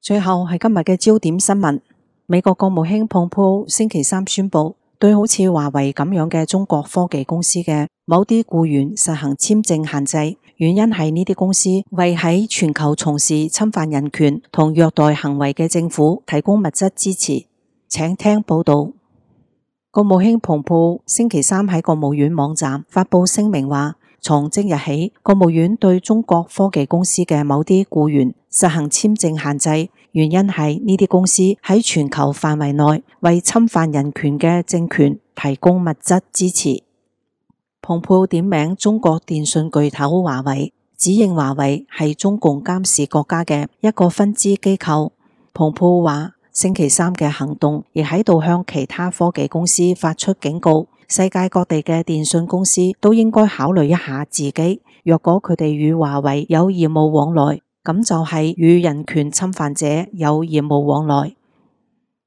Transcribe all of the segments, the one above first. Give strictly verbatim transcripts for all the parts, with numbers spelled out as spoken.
最後係今日嘅焦點新聞。美國國務卿蓬佩奧星期三宣布，對好似華為咁樣嘅中國科技公司嘅某啲僱員實行簽證限制，原因係呢啲公司為喺全球從事侵犯人權同虐待行為嘅政府提供物質支持。請聽報道。國務卿蓬佩奧星期三喺國務院網站發布聲明話，從即日起，國務院對中國科技公司嘅某啲僱員實行簽證限制，原因係呢啲公司喺全球範圍內為侵犯人權嘅政權提供物質支持。蓬佩奧點名中國電信巨頭華為，指認華為係中共監視國家嘅一個分支機構。蓬佩奧話，星期三嘅行動亦喺度向其他科技公司發出警告。世界各地嘅電信公司都應該考慮一下自己，若果佢哋與華為有業務往來，咁就係與人權侵犯者有業務往來。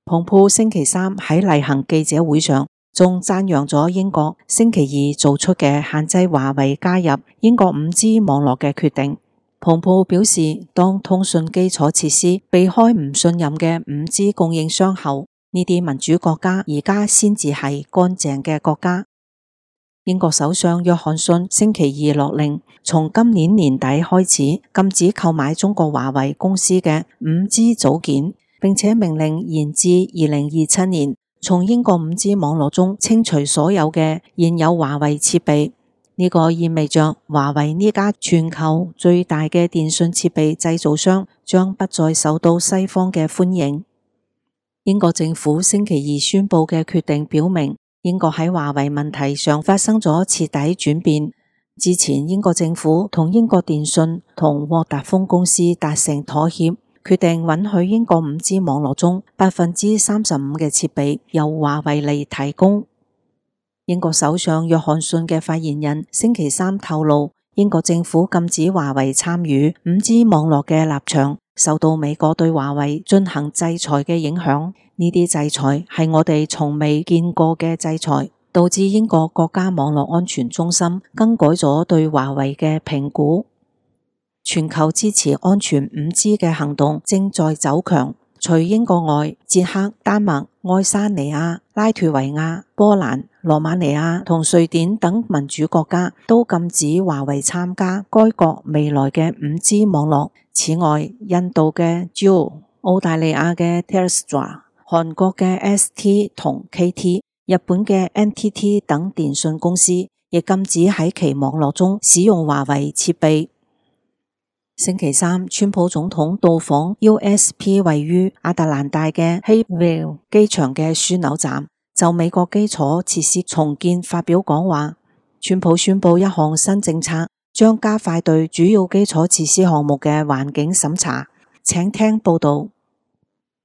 蓬佩奧星期三喺例行記者會上，仲讚揚咗英國星期二做出嘅限制華為加入英國五 G 網絡嘅決定。蓬佩奧表示，當通訊基礎設施避開唔信任嘅五 G 供應商後，呢啲民主國家而家先至係乾淨嘅國家。英國首相約翰遜星期二落令，從今年年底開始禁止購買中國華為公司嘅五 G 組件，並且命令延至二零二七年，從英國五 G 網絡中清除所有嘅現有華為設備。呢個意味着華為呢家全球最大嘅電信設備製造商將不再受到西方嘅歡迎。英國政府星期二宣布嘅決定表明，英國喺華為問題上發生咗徹底轉變。之前英國政府同英國電信同沃達豐公司達成妥協，決定允許英國五 G 網絡中百分之三十五嘅設備由華為嚟提供。英國首相約翰遜嘅發言人星期三透露，英國政府禁止華為參與五 G 網絡嘅立場受到美國對華為進行制裁嘅影響。呢啲制裁係我哋從未見過嘅制裁，導致英國國家網絡安全中心更改咗對華為嘅評估。全球支持安全五 G 嘅行動正在走強，除英國外，捷克、丹麥、愛沙尼亞、拉脫維亞、波蘭、羅馬尼亞同瑞典等民主國家都禁止華為參加該國未來嘅五 G 網絡。此外，印度嘅 Jio、澳大利亞嘅 Telstra、韓國嘅 S T 同 K T、日本嘅 N T T 等電信公司亦禁止喺其網絡中使用華為設備。星期三，川普總統到訪 U S P 位於亞特蘭大嘅 Hillville 機場嘅樞紐站，就美國基礎設施重建發表講話。川普宣布一項新政策，將加快對主要基礎設施項目嘅環境審查。請聽報道。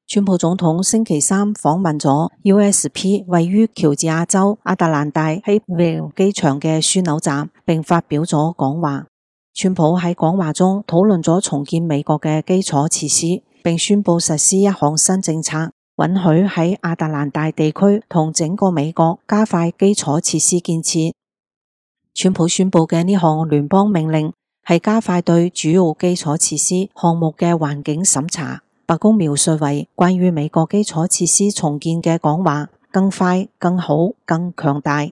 川普總統星期三訪問咗 U S P 位於喬治亞州亞特蘭大 Hillville 機場嘅樞紐站，並發表咗講話。川普喺講話中討論咗重建美國嘅基礎設施，並宣布實施一項新政策，允許喺亞特蘭大地區同整個美國加快基礎設施建設。川普宣布嘅呢項聯邦命令係加快對主要基礎設施項目嘅環境審查。白宮描述為關於美國基礎設施重建嘅講話，更快、更好、更強大。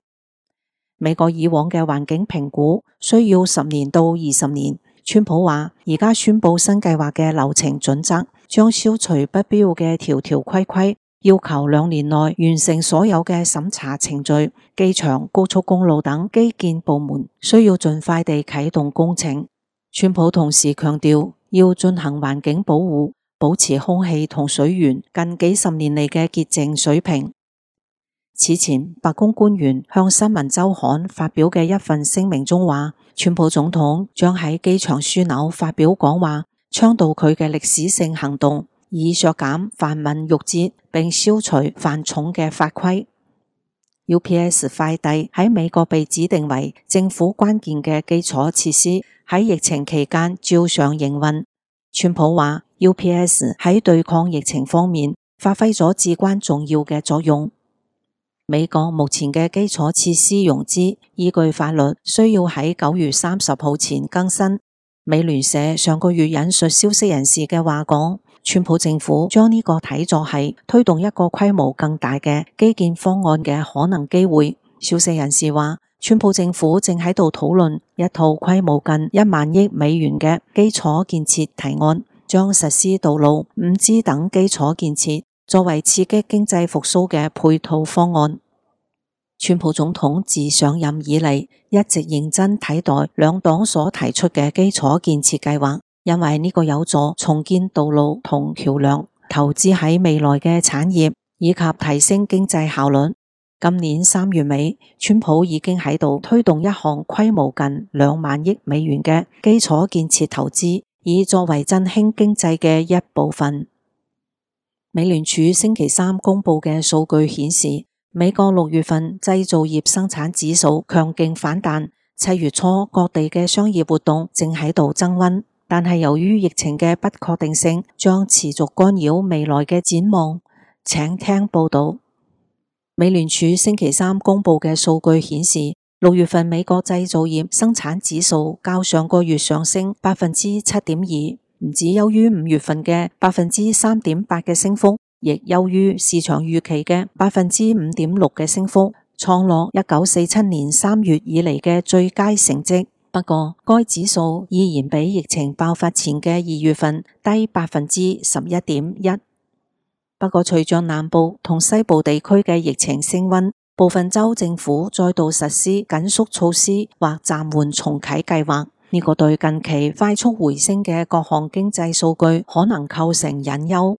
美國以往嘅環境評估需要十年到二十年。川普話，而家宣布新計劃嘅流程準則，將消除不必要嘅條條規規，要求兩年內完成所有嘅審查程序。機場、高速公路等基建部門需要盡快地啟動工程。川普同時強調，要進行環境保護，保持空氣同水源近幾十年嚟嘅潔淨水平。此前，白宮官員向新聞週刊發表嘅一份聲明中話，川普總統將喺機場樞紐發表講話，倡導佢嘅歷史性行動，以削減繁文縟節並消除繁重嘅法規。U P S 快遞喺美國被指定為政府關鍵嘅基礎設施，喺疫情期間照常營運。川普話 U P S 喺對抗疫情方面發揮咗至關重要嘅作用。美國目前嘅基礎設施融資依據法律需要喺九月三十號前更新。美聯社上個月引述消息人士嘅話講，川普政府將呢個睇作係推動一個規模更大嘅基建方案嘅可能機會。消息人士話，川普政府正喺度討論一套規模近一萬億美元嘅基礎建設提案，將實施道路、五 G 等基礎建設作為刺激經濟復甦嘅配套方案。川普總統自上任以嚟一直認真睇待兩黨所提出嘅基礎建設計劃，因為呢個有助重建道路同橋樑，投資喺未來嘅產業以及提升經濟效率。今年三月尾，川普已經喺度推動一項規模近兩萬億美元嘅基礎建設投資，以作為振興經濟嘅一部分。美聯儲星期三公布嘅數據顯示，美國六月份製造業生產指數強勁反彈，七月初各地嘅商業活動正喺度增溫，但係由於疫情嘅不確定性，將持續干擾未來嘅展望。請聽報道。美聯儲星期三公布嘅數據顯示，六月份美國製造業生產指數較上個月上升百分之七點二，唔止優於五月份嘅百分之三點八嘅升幅，亦優於市場預期嘅百分之五點六嘅升幅，創落一九四七年三月以嚟嘅最佳成績。不過，該指數依然比疫情爆發前嘅二月份低百分之十一點一。不過，隨着南部同西部地區嘅疫情升溫，部分州政府再度實施緊縮措施或暫緩重啟計劃。呢個對近期快速回升嘅各項經濟數據可能構成隱憂。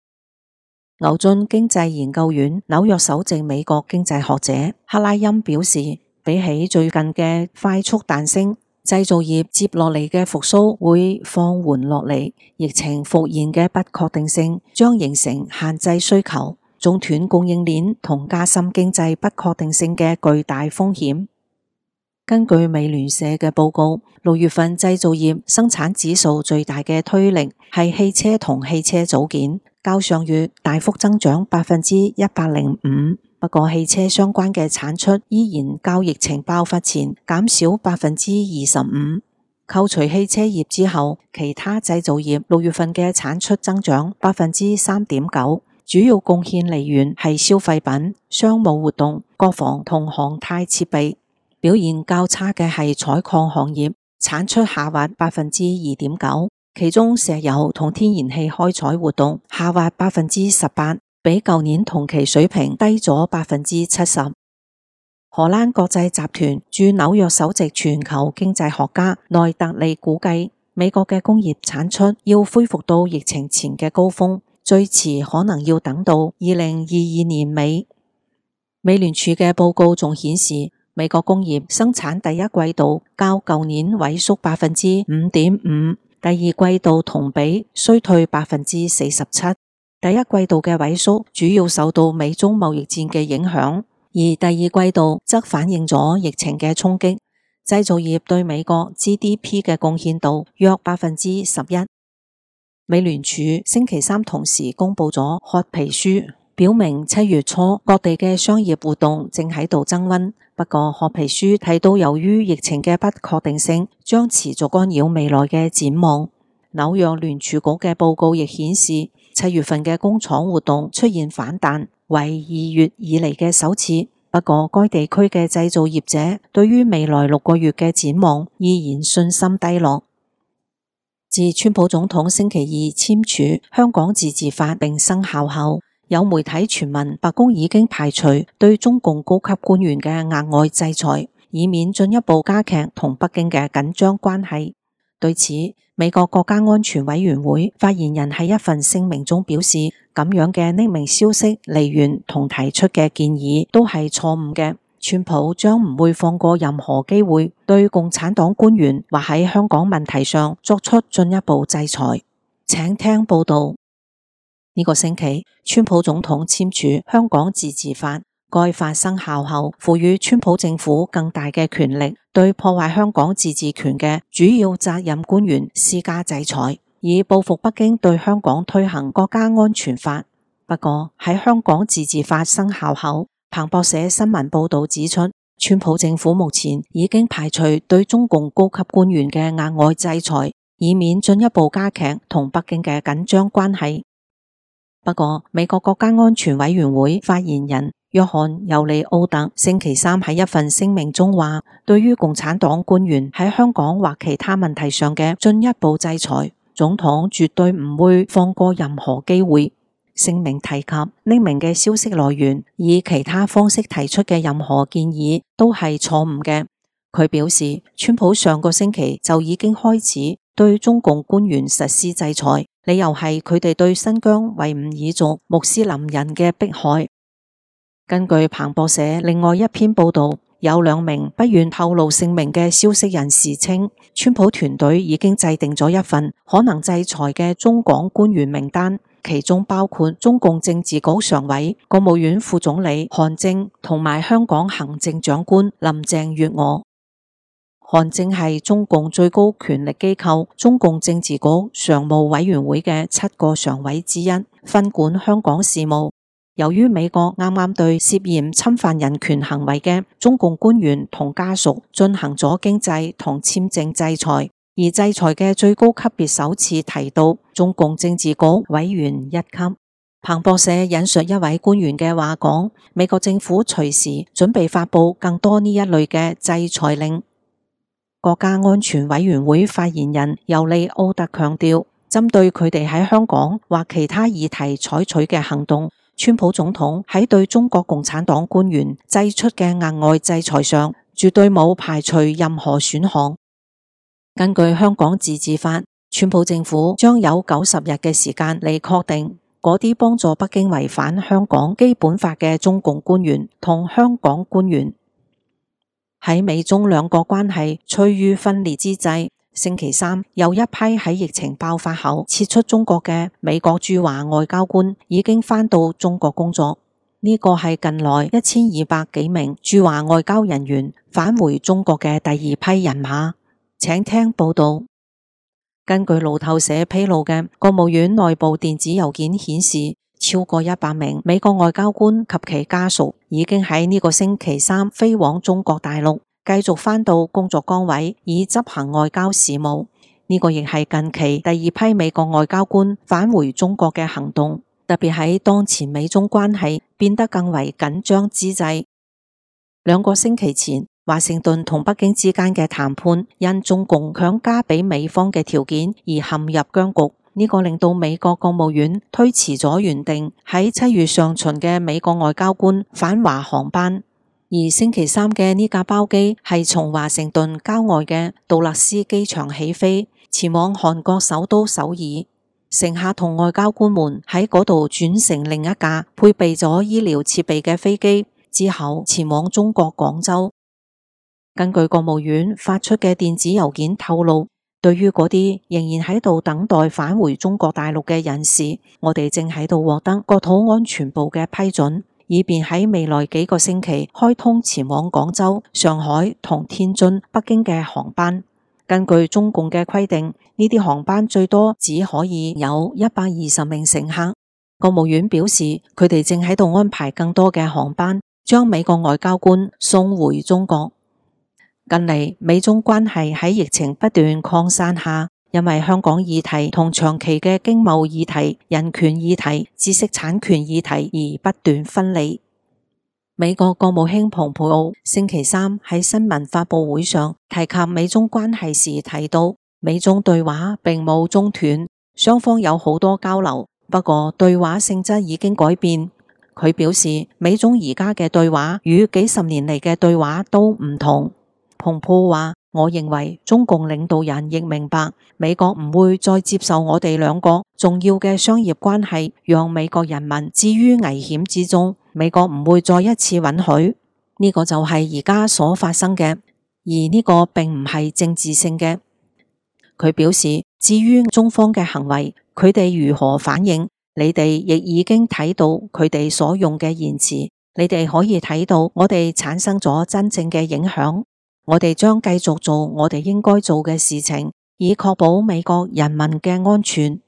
牛津經濟研究院紐約首席美國經濟學者克拉欽表示，比起最近嘅快速彈升，製造業接落嚟嘅復甦會放緩落嚟，疫情復現嘅不確定性將形成限制需求、中斷供應鏈同加深經濟不確定性嘅巨大風險。根據美聯社嘅報告，六月份製造業生產指數最大嘅推力係汽車同汽車組件，較上月大幅增長百分之一百零五。不過汽車相關嘅產出依然較疫情爆發前減少百分之二十五。扣除汽車業之後，其他製造業六月份嘅產出增長百分之三點九，主要貢獻利源係消費品、商務活動、國防同航太設備。表現較差嘅係採礦行業，產出下滑百分之二點九，其中石油同天然氣開採活動下滑百分之十八，比舊年同期水平低咗百分之七十。荷蘭國際集團駐紐約首席全球經濟學家內特利估計，美國嘅工業產出要恢復到疫情前嘅高峰，最遲可能要等到二零二二年尾。美聯儲嘅報告仲顯示，美國工業生產第一季度較舊年萎縮百分之五點五，第二季度同比衰退百分之四十七。第一季度嘅萎縮主要受到美中貿易戰嘅影響，而第二季度則反映咗疫情嘅衝擊。製造業對美國 G D P 嘅貢獻度約百分之十一。美聯儲星期三同時公布咗褐皮書，表明七月初各地嘅商業活動正喺度增溫。不過褐皮書提到，由於疫情嘅不確定性，將持續干擾未來嘅展望。紐約聯儲局嘅報告亦顯示，七月份嘅工廠活動出現反彈，為二月以嚟嘅首次。不過該地區嘅製造業者對於未來六個月嘅展望依然信心低落。自川普總統星期二簽署香港自治法並生效後，有媒體傳聞白宮已經排除對中共高級官員嘅額外制裁，以免進一步加劇同北京嘅緊張關係。對此，美國國家安全委員會發言人喺一份聲明中表示，咁樣嘅匿名消息來源同提出嘅建議都係錯誤嘅。川普將唔會放過任何機會對共產黨官員或喺香港問題上作出進一步制裁。請聽報道。呢個星期，川普總統簽署香港自治法，該法生效後，賦予川普政府更大嘅權力，對破壞香港自治權嘅主要責任官員施加制裁，以報復北京對香港推行國家安全法。不過喺香港自治法生效後，彭博社新聞報道指出，川普政府目前已經排除對中共高級官員嘅額外制裁，以免進一步加劇同北京嘅緊張關係。不過，美國國家安全委員會發言人約翰尤利奧特星期三喺一份聲明中話，對於共產黨官員喺香港或其他問題上嘅進一步制裁，總統絕對唔會放過任何機會。聲明提及匿名嘅消息來源，以其他方式提出嘅任何建議都係錯誤嘅。佢表示，川普上個星期就已經開始對中共官員實施制裁，理由係佢哋對新疆維吾爾族穆斯林人嘅迫害。根據彭博社另外一篇報道，有兩名不願透露姓名嘅消息人士稱，川普團隊已經制定咗一份可能制裁嘅中港官員名單，其中包括中共政治局常委、國務院副總理韓正同埋香港行政長官林鄭月娥。韓正係中共最高權力機構中共政治局常務委員會嘅七個常委之一，分管香港事務。由於美國啱啱對涉嫌侵犯人權行為嘅中共官員同家屬進行咗經濟同簽證制裁，而制裁嘅最高級別首次提到中共政治局委員一級。彭博社引述一位官員嘅話講，美國政府隨時準備發布更多呢一類嘅制裁令。國家安全委員會發言人尤利奧特強調，針對佢哋喺香港或其他議題採取嘅行動，川普總統喺對中國共產黨官員祭出嘅額外制裁上，絕對冇排除任何選項。根據香港自治法，川普政府將有九十日嘅時間嚟確定嗰啲幫助北京違反香港基本法嘅中共官員同香港官員。喺美中兩國關係趨於分裂之際，星期三有一批喺疫情爆發後撤出中國嘅美國駐華外交官已經返到中國工作。呢個係近來一千二百幾名駐華外交人員返回中國嘅第二批人馬。請聽報道。根據路透社披露嘅國務院內部電子郵件顯示，超過一百名美國外交官及其家屬已經喺呢個星期三飛往中國大陸，繼續返到工作崗位以執行外交事務。呢個亦係近期第二批美國外交官返回中國嘅行動，特別喺當前美中關係變得更為緊張之際。兩個星期前，華盛頓同北京之間嘅談判因中共強加俾美方嘅條件而陷入僵局，呢個令到美國國務院推遲咗原定喺七月上旬嘅美國外交官返華航班。而星期三嘅呢架包機係從華盛頓郊外嘅杜勒斯機場起飛，前往韓國首都首爾。乘客同外交官們喺嗰度轉乘另一架配備咗醫療設備嘅飛機，之後前往中國廣州。根據國務院發出嘅電子郵件透露，對於嗰啲仍然喺度等待返回中國大陸嘅人士，我哋正喺度獲得國土安全部嘅批准，以便喺未來幾個星期開通前往廣州、上海同天津、北京嘅航班。根據中共嘅規定，呢啲航班最多只可以有一百二十名乘客。國務院表示，佢哋正喺度安排更多嘅航班，將美國外交官送回中國。近嚟美中關係喺疫情不斷擴散下，因為香港議題同長期嘅經貿議題、人權議題、知識產權議題而不斷分離。美國國務卿蓬佩奧星期三喺新聞發佈會上提及美中關係時提到，美中對話並冇中斷，雙方有好多交流，不過對話性質已經改變。佢表示，美中而家嘅對話與幾十年嚟嘅對話都唔同。蓬佩奧話，我認為中共領導人亦明白，美國唔會再接受我哋兩國重要嘅商業關係，讓美國人民置於危險之中。美國唔會再一次允許，呢個就係而家所發生嘅，而呢個並唔係政治性嘅。佢表示，至於中方嘅行為，佢哋如何反應，你哋亦已經睇到佢哋所用嘅言辭，你哋可以睇到我哋產生咗真正嘅影響。我哋將繼續做我哋應該做嘅事情，以確保美國人民嘅安全。